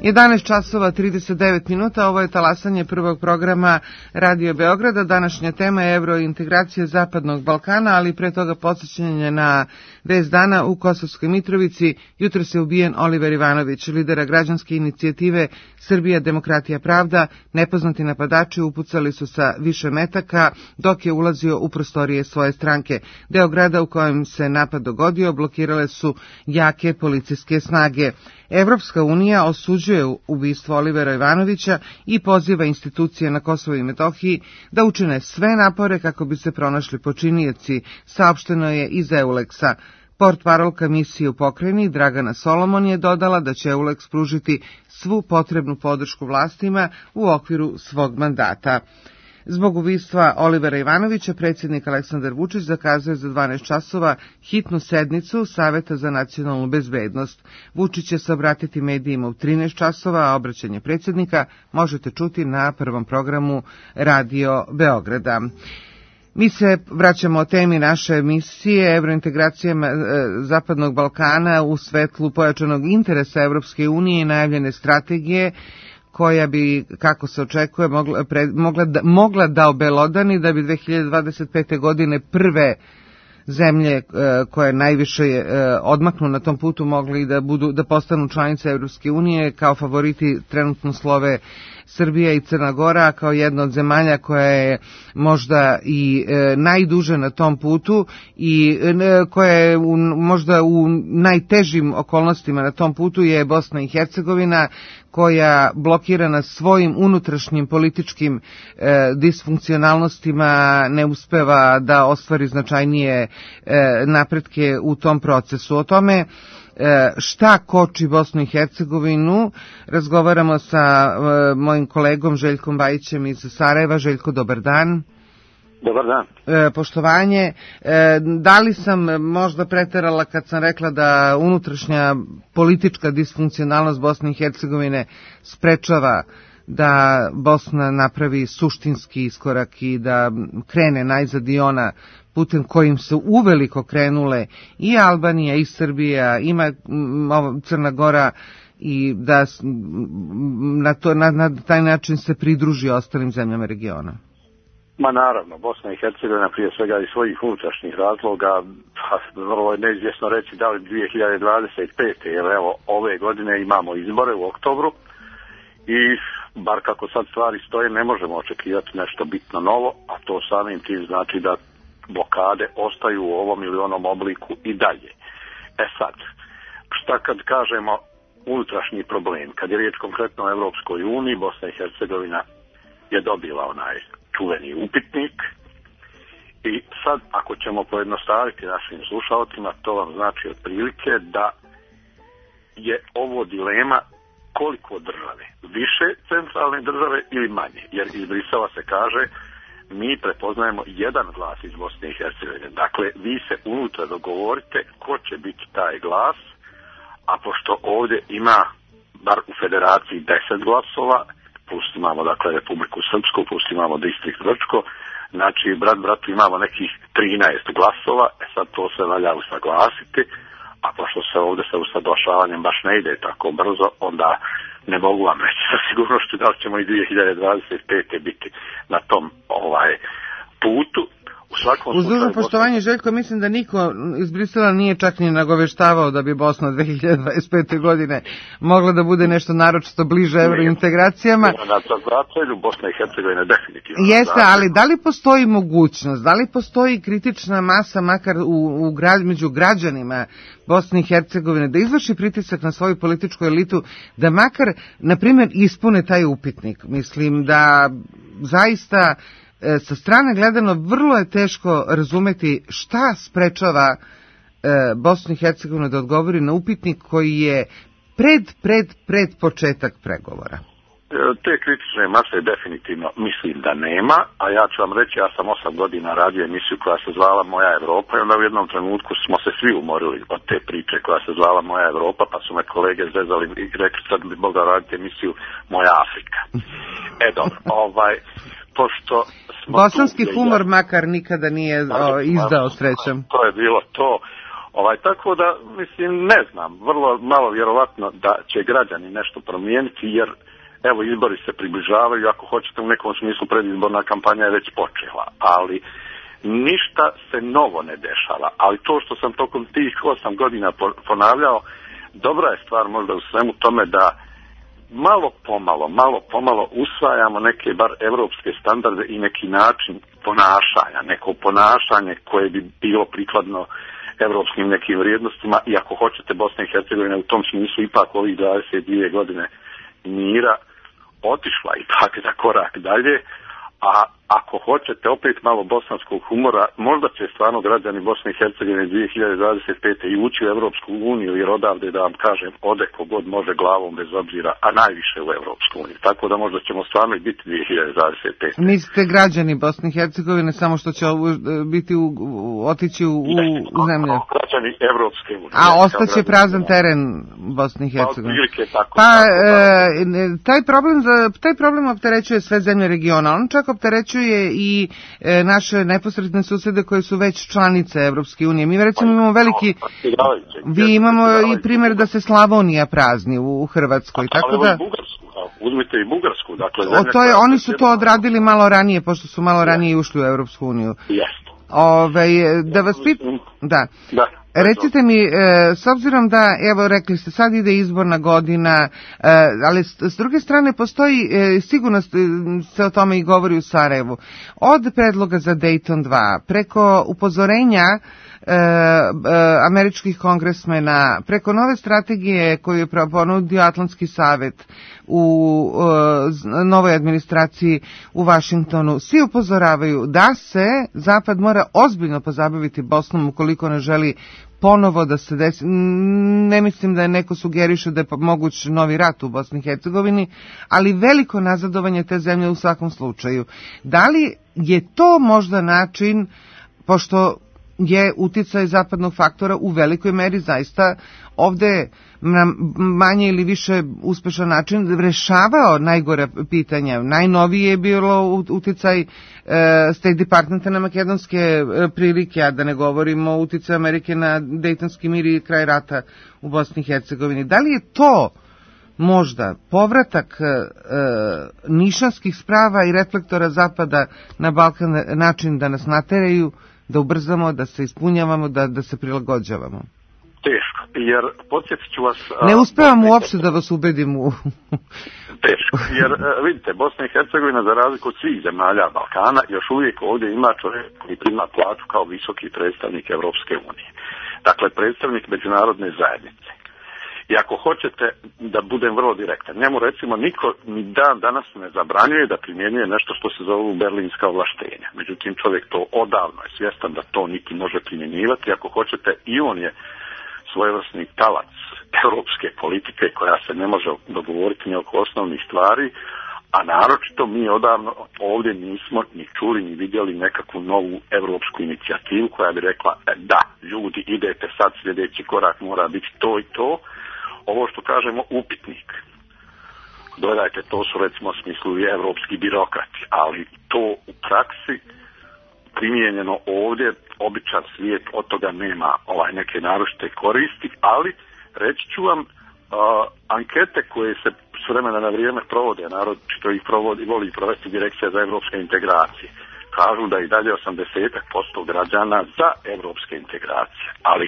11 časova 39 minuta, ovo je talasanje prvog programa Radio Beograda. Današnja tema je evrointegracija Zapadnog Balkana, ali pre toga podsjećanje na vest dana u Kosovskoj Mitrovici. Jutro se ubijen Oliver Ivanović, lidera građanske inicijative Srbija, demokratija, pravda. Nepoznati napadači upucali su sa više metaka dok je ulazio u prostorije svoje stranke. Deo grada u kojem se napad dogodio blokirale su jake policijske snage. Evropska unija osuđuje osuđuje ubistvo Olivera Ivanovića i poziva institucije na Kosovu i Metohiji da učine sve napore kako bi se pronašli počinioci, saopšteno je iz EULEX-a. Portparolka misije u pokrajini Dragana Solomon je dodala da će EULEX pružiti svu potrebnu podršku vlastima u okviru svog mandata. Zbog ubistva Olivera Ivanovića, predsjednik Aleksandar Vučić zakazuje za 12 časova hitnu sednicu Saveta za nacionalnu bezbednost. Vučić će se obratiti medijima u 13 časova, a obraćanje predsjednika možete čuti na prvom programu Radio Beograda. Mi se vraćamo o temi naše emisije evrointegracijama Zapadnog Balkana u svetlu pojačanog interesa Evropske unije i najavljene strategije koja bi, kako se očekuje, mogla da obelodani da bi 2025. godine prve zemlje koje najviše odmaknu na tom putu mogli da postanu članice Evropske unije. Kao favoriti trenutno slove Srbija i Crna Gora, kao jedna od zemalja koja je možda i najduže na tom putu i koja je možda u najtežim okolnostima na tom putu je Bosna i Hercegovina, koja blokirana svojim unutrašnjim političkim disfunkcionalnostima ne uspeva da ostvari značajnije napretke u tom procesu. O tome šta koči Bosnu i Hercegovinu razgovaramo sa mojim kolegom Željkom Bajićem iz Sarajeva. Željko, dobar dan. Dobar dan. Poštovanje. Da li sam možda preterala kad sam rekla da unutrašnja politička disfunkcionalnost Bosne i Hercegovine sprečava da Bosna napravi suštinski iskorak i da krene najzad i ona putem kojim su uveliko krenule i Albanija i Srbija, ima Crna Gora, i da na taj način se pridruži ostalim zemljama regiona? Ma naravno, Bosna i Hercegovina prije svega iz svojih unutrašnjih razloga, vrlo je neizvjesno reći da li 2025. jer evo ove godine imamo izbore u oktobru i bar kako sad stvari stoje ne možemo očekivati nešto bitno novo, a to samim tim znači da blokade ostaju u ovom ili onom obliku i dalje. E sad, šta kad kažemo unutrašnji problem? Kad je riječ konkretno o Evropskoj uniji, Bosna i Hercegovina je dobila onaj čuveni upitnik i sad ako ćemo pojednostaviti našim slušalcima, to vam znači otprilike da je ovo dilema koliko države, više centralne države ili manje, jer iz Brisela se kaže mi prepoznajemo jedan glas iz Bosne i Hercegovine. Dakle, vi se unutra dogovorite ko će biti taj glas, a pošto ovdje ima, bar u federaciji, 10 glasova, plus imamo dakle Republiku Srpsku, plus imamo distrikt Grčko, znači bratu imamo nekih 13 glasova, sad to se valja usaglasiti, a pošto se ovdje sa usaglašavanjem baš ne ide tako brzo, onda ne mogu vam reći sa sigurnošću da li ćemo i 2025. biti na tom putu. Uz dužno poštovanje, Željko, mislim da niko iz Brisela nije čak ni nagoveštavao da bi Bosna 2025. godine mogla da bude nešto naročito bliže evrointegracijama. Na zatelju Bosna i Hercegovina definitivno. Jeste, ali da li postoji mogućnost, da li postoji kritična masa, makar među građanima Bosne i Hercegovine, da izvrši pritisak na svoju političku elitu, da makar, na primjer, ispune taj upitnik? Mislim da zaista sa strane gledano vrlo je teško razumeti šta sprečava Bosnu i Hercegovinu da odgovori na upitnik koji je pred početak pregovora. Te kritične mase definitivno mislim da nema, a ja ću vam reći, ja sam 8 godina radio emisiju koja se zvala Moja Evropa i onda u jednom trenutku smo se svi umorili od te priče koja se zvala Moja Evropa, pa su me kolege zezali i rekli sad bi mogao raditi emisiju Moja Afrika. Dobro, pošto bosanski humor makar nikada nije izdao, srećem. To je bilo to. Tako da, mislim, ne znam, vrlo malo vjerovatno da će građani nešto promijeniti, jer evo izbori se približavaju, ako hoćete u nekom smislu predizborna kampanja je već počela, ali ništa se novo ne dešava, ali to što sam tokom tih 8 godina ponavljao, dobra je stvar možda u svemu tome da malo pomalo usvajamo neke bar evropske standarde i neki način ponašanja, neko ponašanje koje bi bilo prikladno evropskim nekim vrijednostima, i ako hoćete Bosna i Hercegovina u tom smislu ipak ovih 22 godine mira otišla ipak za korak dalje, a ako hoćete opet malo bosanskog humora, možda će stvarno građani Bosne i Hercegovine 2025. i ući u Evropsku uniju, jer odavde, da vam kažem, ode kogod može glavom bez obzira, a najviše u Evropsku uniju. Tako da možda ćemo stvarno i biti 2025. Mislite građani Bosne i Hercegovine samo što će biti otići u zemlju? Građani Evropske unije. A ostaće prazan teren Bosne i Hercegovine. Pa taj problem opterećuje sve zemlje regiona. On čak opterećuje i naše neposredne susede koje su već članice Evropske unije. Mi recimo imamo vi imamo i primjer da se Slavonija prazni u Hrvatskoj. Tako da uzmite i Bugarsku. Dakle, oni su to odradili malo ranije, pošto su malo ranije ušli u Evropsku uniju. Jeste. Da vas pitam, da. Recite mi, s obzirom da, evo rekli ste, sad ide izborna godina, ali s druge strane postoji, sigurno se o tome i govori u Sarajevu, od predloga za Dayton 2, preko upozorenja američkih kongresmena, preko nove strategije koju je ponudio Atlantski savjet u novoj administraciji u Vašingtonu, svi upozoravaju da se Zapad mora ozbiljno pozabaviti Bosnom ukoliko ne želi ponovo da se desi. Ne mislim da je neko sugeriše da je moguć novi rat u Bosni i Hercegovini, ali veliko nazadovanje te zemlje u svakom slučaju. Da li je to možda način, pošto je uticaj zapadnog faktora u velikoj meri zaista ovde na manje ili više uspešan način rešavao najgore pitanja. Najnovije je bilo uticaj State Departmenta na makedonske prilike, a da ne govorimo o uticaju Amerike na Dejtonski mir i kraj rata u Bosni i Hercegovini. Da li je to možda povratak nišanskih sprava i reflektora Zapada na Balkan način da nas nateraju, da ubrzamo, da se ispunjavamo, da se prilagođavamo? Teško, jer podsjetit ću vas... Ne uspevam uopšte da vas ubedim u... Teško, jer vidite, Bosna i Hercegovina, za razliku od svih zemalja Balkana, još uvijek ovdje ima čovjek koji prima plaću kao visoki predstavnik Evropske unije. Dakle, predstavnik međunarodne zajednice. I ako hoćete da budem vrlo direktan, njemu recimo niko ni dan danas ne zabranjuje da primjenjuje nešto što se zovu berlinska ovlaštenja. Međutim, čovjek to odavno je svjestan da to niti može primjenjivati. Ako hoćete, i on je svojevrsni talac europske politike koja se ne može dogovoriti ni oko osnovnih stvari, a naročito mi odavno ovdje nismo ni čuli ni vidjeli nekakvu novu europsku inicijativu koja bi rekla da, ljudi, idete sad, sljedeći korak mora biti to i to. Ovo što kažemo upitnik. Dodajte, to su recimo u smislu i evropski birokrati, ali to u praksi primijenjeno ovdje, običan svijet od toga nema neke naročite koristi, ali reći ću vam, ankete koje se s vremena na vrijeme provode, naročito ih voli provesti Direkcija za evropske integracije, kažu da i dalje 80% građana za evropske integracije, ali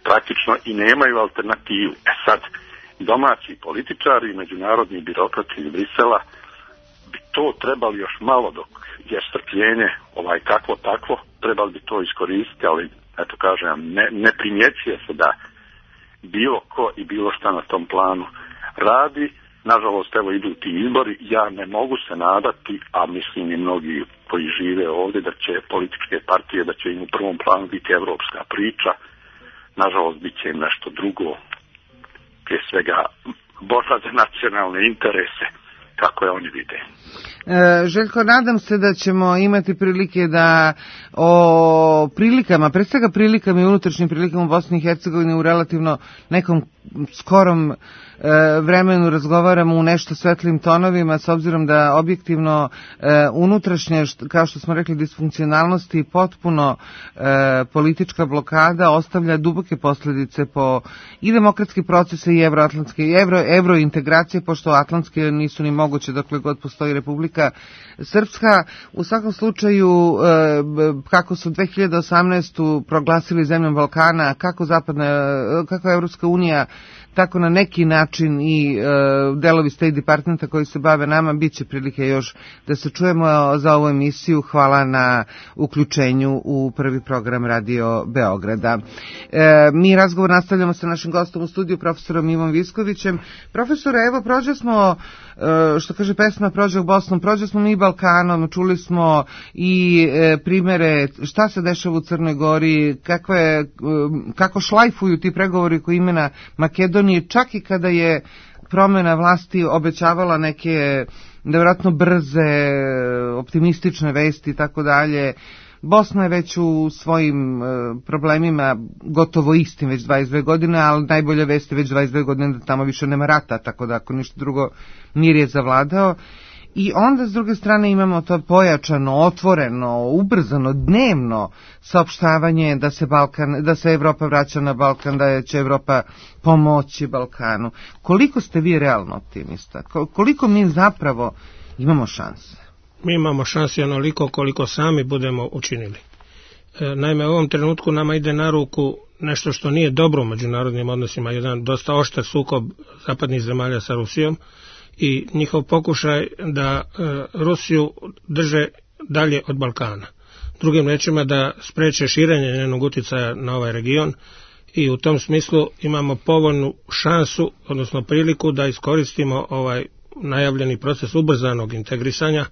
praktično i nemaju alternativu. Sad, domaći političari i međunarodni birokrati iz Brisela bi to trebali još malo, dok je strpljenje kakvo takvo, trebali bi to iskoristiti, ali eto kažem, ne primjećuje se da bilo ko i bilo šta na tom planu radi. Nažalost, evo idu ti izbori, ja ne mogu se nadati, a mislim i mnogi koji žive ovdje, da će političke partije, da će im u prvom planu biti evropska priča. Nažalost, bit će im nešto drugo, prije svega borba za nacionalne interese, kako je oni vide. Željko, nadam se da ćemo imati prilike da o prilikama, pre svega prilikama i unutrašnjim prilikama u Bosni i Hercegovini u relativno nekom skorom vremenu razgovaramo u nešto svetlim tonovima, s obzirom da objektivno unutrašnje, kao što smo rekli, disfunkcionalnosti i potpuno politička blokada ostavlja duboke posljedice po i demokratske procese i evrointegracije, pošto atlantske nisu ni moguće dokle god postoji Republika Srpska. U svakom slučaju, kako su 2018. proglasili zemljom Balkana, kako Evropska unija, tako na neki način i delovi State Departmenta koji se bave nama, bit će prilike još da se čujemo za ovu emisiju. Hvala na uključenju u prvi program Radio Beograda. Mi razgovor nastavljamo sa našim gostom u studiju, profesorom Ivom Viskovićem. Profesore, evo, prođe smo, što kaže pesma, prođe u Bosnom, prođe smo mi Balkanom, čuli smo i primere šta se dešava u Crnoj Gori, kako šlajfuju ti pregovori koji imena Makedonije, čak i kada je promjena vlasti obećavala neke nevjerojatno brze, optimistične vesti i tako dalje. Bosna je već u svojim problemima gotovo istim već 22 godine, ali najbolja vest je već 22 godine da tamo više nema rata, tako da ako ništa drugo mir je zavladao. I onda s druge strane imamo to pojačano, otvoreno, ubrzano, dnevno saopštavanje da se Evropa vraća na Balkan, da će Evropa pomoći Balkanu. Koliko ste vi realno optimista? Koliko mi zapravo imamo šanse? Mi imamo šanse onoliko koliko sami budemo učinili. Naime, u ovom trenutku nama ide na ruku nešto što nije dobro u međunarodnim odnosima, jedan dosta oštar sukob zapadnih zemalja sa Rusijom i njihov pokušaj da Rusiju drže dalje od Balkana. Drugim rečima da spreče širenje njenog utjecaja na ovaj region i u tom smislu imamo povoljnu šansu, odnosno priliku da iskoristimo ovaj najavljeni proces ubrzanog integrisanja,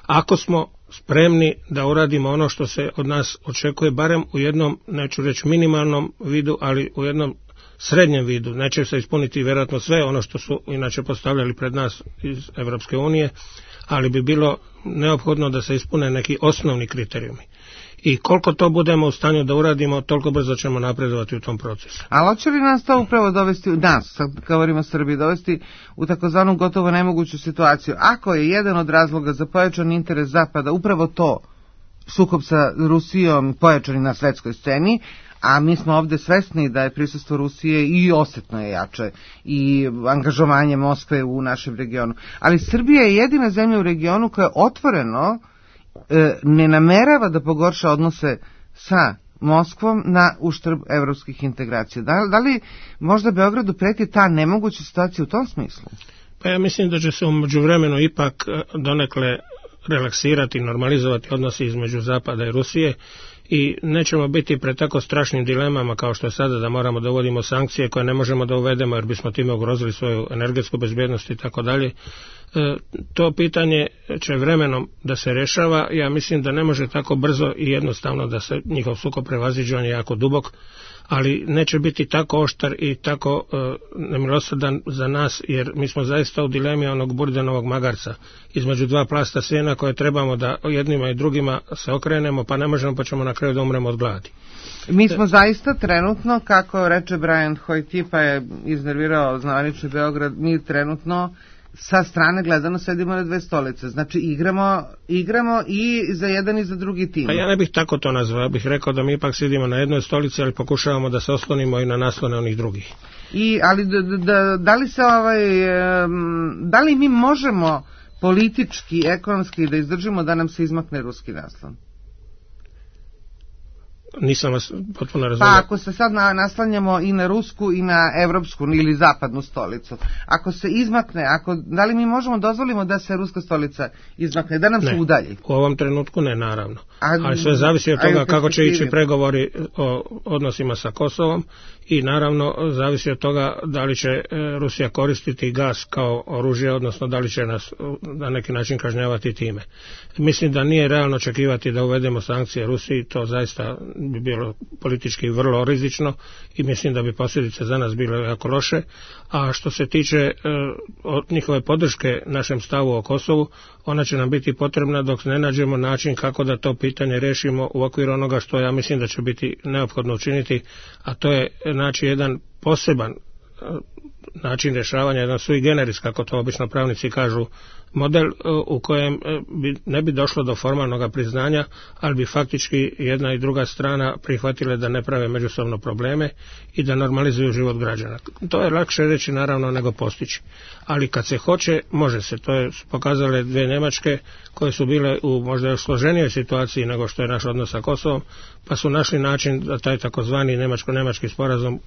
ako smo spremni da uradimo ono što se od nas očekuje, barem u jednom, neću reći minimalnom vidu, ali u jednom srednjem vidu. Neće se ispuniti vjerojatno sve ono što su inače postavljali pred nas iz Evropske unije, ali bi bilo neophodno da se ispune neki osnovni kriterijumi. I koliko to budemo u stanju da uradimo, toliko brzo ćemo napredovati u tom procesu. Ali hoće li nas to upravo dovesti, nas, sad govorimo o Srbiji, dovesti u takozvanu gotovo nemoguću situaciju? Ako je jedan od razloga za pojačan interes Zapada upravo to, sukob sa Rusijom pojačani na svetskoj sceni, a mi smo ovdje svesni da je prisustvo Rusije i osjetno je jače i angažovanje Moskve u našem regionu. Ali Srbija je jedina zemlja u regionu koja otvoreno ne namerava da pogorša odnose sa Moskvom na uštrb evropskih integracija. Da li možda Beogradu preti ta nemoguća situacija u tom smislu? Pa ja mislim da će se u međuvremenu ipak donekle relaksirati, normalizovati odnosi između Zapada i Rusije i nećemo biti pred tako strašnim dilemama kao što je sada da moramo da uvodimo sankcije koje ne možemo da uvedemo jer bismo time ugrozili svoju energetsku bezbjednost i tako dalje. To pitanje će vremenom da se rešava. Ja mislim da ne može tako brzo i jednostavno da se njihov sukob prevaziđe, on je jako dubok, ali neće biti tako oštar i tako nemilosrdan za nas, jer mi smo zaista u dilemi onog burdenovog magarca između dva plasta sjena koje trebamo da jednima i drugima se okrenemo, pa ne možemo, pa ćemo na kraju da umremo od gladi. Mi smo zaista trenutno, kako reče Brian Hojti, pa je iznervirao zvanični Beograd, mi trenutno sa strane gledano sedimo na dve stolice. Znači igramo i za jedan i za drugi tim. Pa ja ne bih tako to nazvao, ja bih rekao da mi ipak sedimo na jednoj stolici, ali pokušavamo da se oslonimo i na naslone onih drugih. Ali da li mi možemo politički, ekonomski da izdržimo da nam se izmakne ruski naslon? Nisam vas potpuno razumio. Pa ako se sad naslanjamo i na rusku i na evropsku ili zapadnu stolicu, ako se izmakne, da li mi možemo dozvolimo da se ruska stolica izmakne, da nam se udalji? U ovom trenutku ne, naravno. Ali sve zavisi od toga kako će ići pregovori o odnosima sa Kosovom i naravno zavisi od toga da li će Rusija koristiti gas kao oružje, odnosno da li će nas na neki način kažnjavati time. Mislim da nije realno očekivati da uvedemo sankcije Rusiji, to zaista bi bilo politički vrlo rizično i mislim da bi posljedice za nas bile jako loše. A što se tiče njihove podrške našem stavu o Kosovu, ona će nam biti potrebna dok ne nađemo način kako da to pitanje rešimo u okviru onoga što ja mislim da će biti neophodno učiniti, a to je naći jedan poseban način rješavanja, jedan sui generis, kako to obično pravnici kažu, model u kojem ne bi došlo do formalnog priznanja, ali bi faktički jedna i druga strana prihvatile da ne prave međusobno probleme i da normalizuju život građana. To je lakše reći naravno nego postići. Ali kad se hoće, može se. To je pokazale dvije Njemačke koje su bile u možda još složenijoj situaciji nego što je naš odnos sa Kosovom, pa su našli način da taj takozvani njemačko-njemački sporazum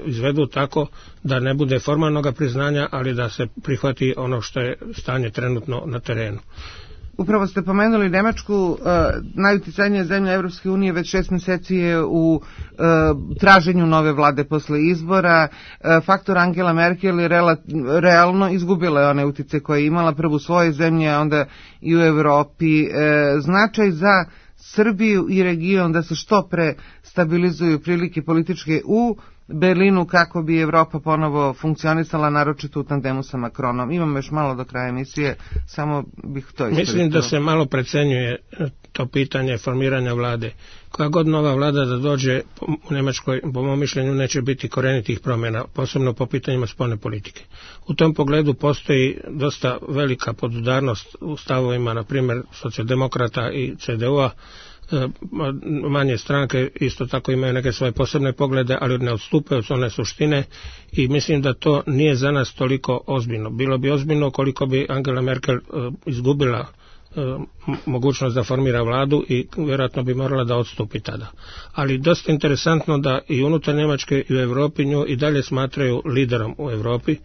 izvedu tako da ne bude formalnog priznanja, ali da se prihvati ono što je stanje trenutno na terenu. Upravo ste pomenuli Nemačku, najuticajnija zemlja Evropske unije već 6 mjeseci je u traženju nove vlade posle izbora. Faktor Angela Merkel je realno izgubila je one utice koje je imala prvo u svojoj zemlji, a onda i u Europi. Značaj za Srbiju i region da se što pre stabilizuju prilike političke u Berlinu kako bi Evropa ponovo funkcionisala, naročito u tandemu sa Macronom. Imamo još malo do kraja emisije, samo bih to iskoristila. Mislim da se malo precenjuje to pitanje formiranja vlade. Koja god nova vlada da dođe u Njemačkoj, po mom mišljenju, neće biti korenitih promjena, posebno po pitanjima spoljne politike. U tom pogledu postoji dosta velika podudarnost u stavovima, na primjer, socijaldemokrata i CDU-a. Manje stranke isto tako imaju neke svoje posebne poglede, ali ne odstupaju od one suštine i mislim da to nije za nas toliko ozbiljno. Bilo bi ozbiljno koliko bi Angela Merkel izgubila mogućnost da formira vladu i vjerojatno bi morala da odstupi tada. Ali dosta interesantno da i unutar Njemačke i u Europi nju i dalje smatraju liderom u Europi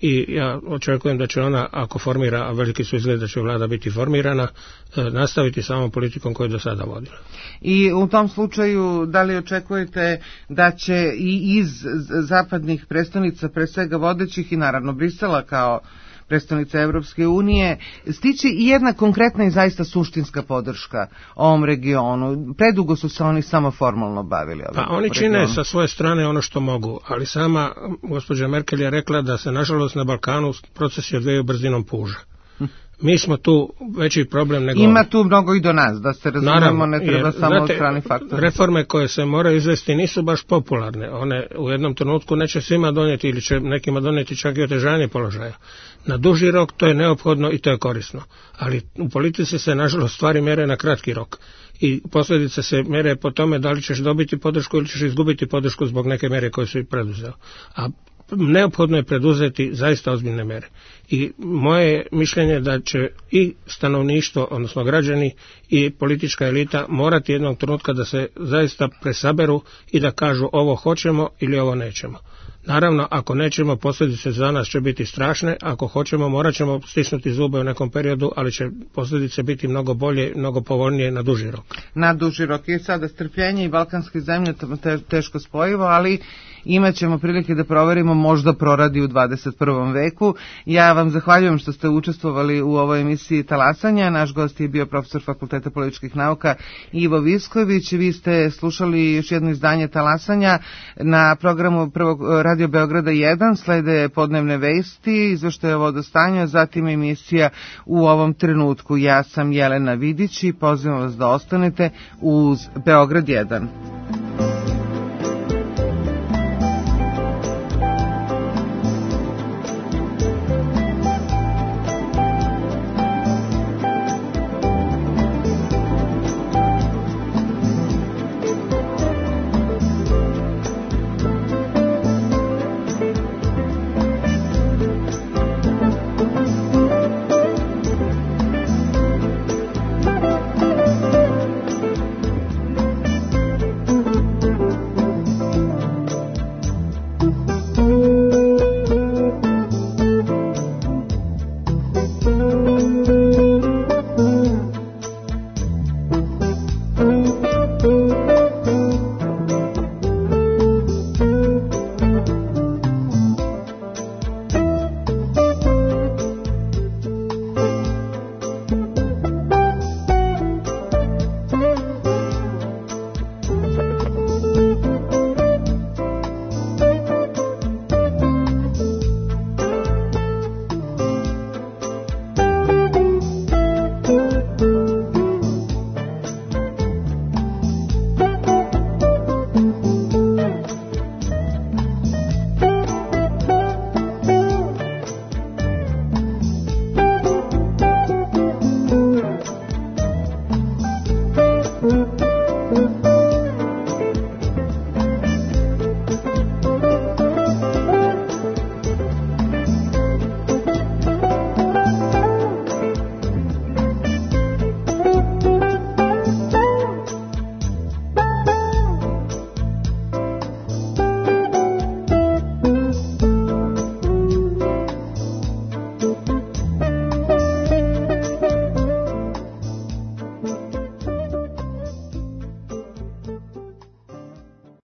i ja očekujem da će ona, ako formira, a veliki su izgled da će vlada biti formirana, nastaviti samom politikom koju je do sada vodila. I u tom slučaju, da li očekujete da će i iz zapadnih predstavnica, pre svega vodećih i naravno Brisela kao predstavnica Evropske unije, stići i jedna konkretna i zaista suštinska podrška ovom regionu? Predugo su se oni samo formalno bavili. Pa oni čine sa svoje strane ono što mogu, ali sama gospođa Merkel je rekla da se nažalost na Balkanu procesi odvijaju brzinom puža. Mi smo tu veći problem nego... Ima tu mnogo i do nas, da se razumemo, ne treba samo od strani faktora. Reforme koje se moraju izvesti nisu baš popularne. One u jednom trenutku neće svima donijeti ili će nekima donijeti čak i otežanje položaja. Na duži rok to je neophodno i to je korisno. Ali u politici se nažalost stvari mjere na kratki rok. I posljedice se mjere po tome da li ćeš dobiti podršku ili ćeš izgubiti podršku zbog neke mjere koje su i preduzeo. A neophodno je preduzeti zaista ozbiljne mjere. I moje mišljenje da će i stanovništvo, odnosno građani i politička elita morati jednog trenutka da se zaista presaberu i da kažu ovo hoćemo ili ovo nećemo. Naravno, ako nećemo, posljedice za nas će biti strašne, ako hoćemo, morat ćemo stisnuti zube u nekom periodu, ali će posljedice biti mnogo bolje, mnogo povoljnije na duži rok. Na duži rok. I sada strpljenje i balkanske zemlje teško spojivo, ali imat ćemo prilike da proverimo, možda proradi u 21. veku. Ja vam zahvaljujem što ste učestvovali u ovoj emisiji Talasanja. Naš gost je bio profesor Fakulteta političkih nauka Ivo Visković. Vi ste slušali još jedno izdanje Talasanja na programu prvog Radio Beograda 1, slede podnevne vesti, izveštaje o vodostanju, zatim emisija U ovom trenutku. Ja sam Jelena Vidić i pozivam vas da ostanete uz Beograd 1.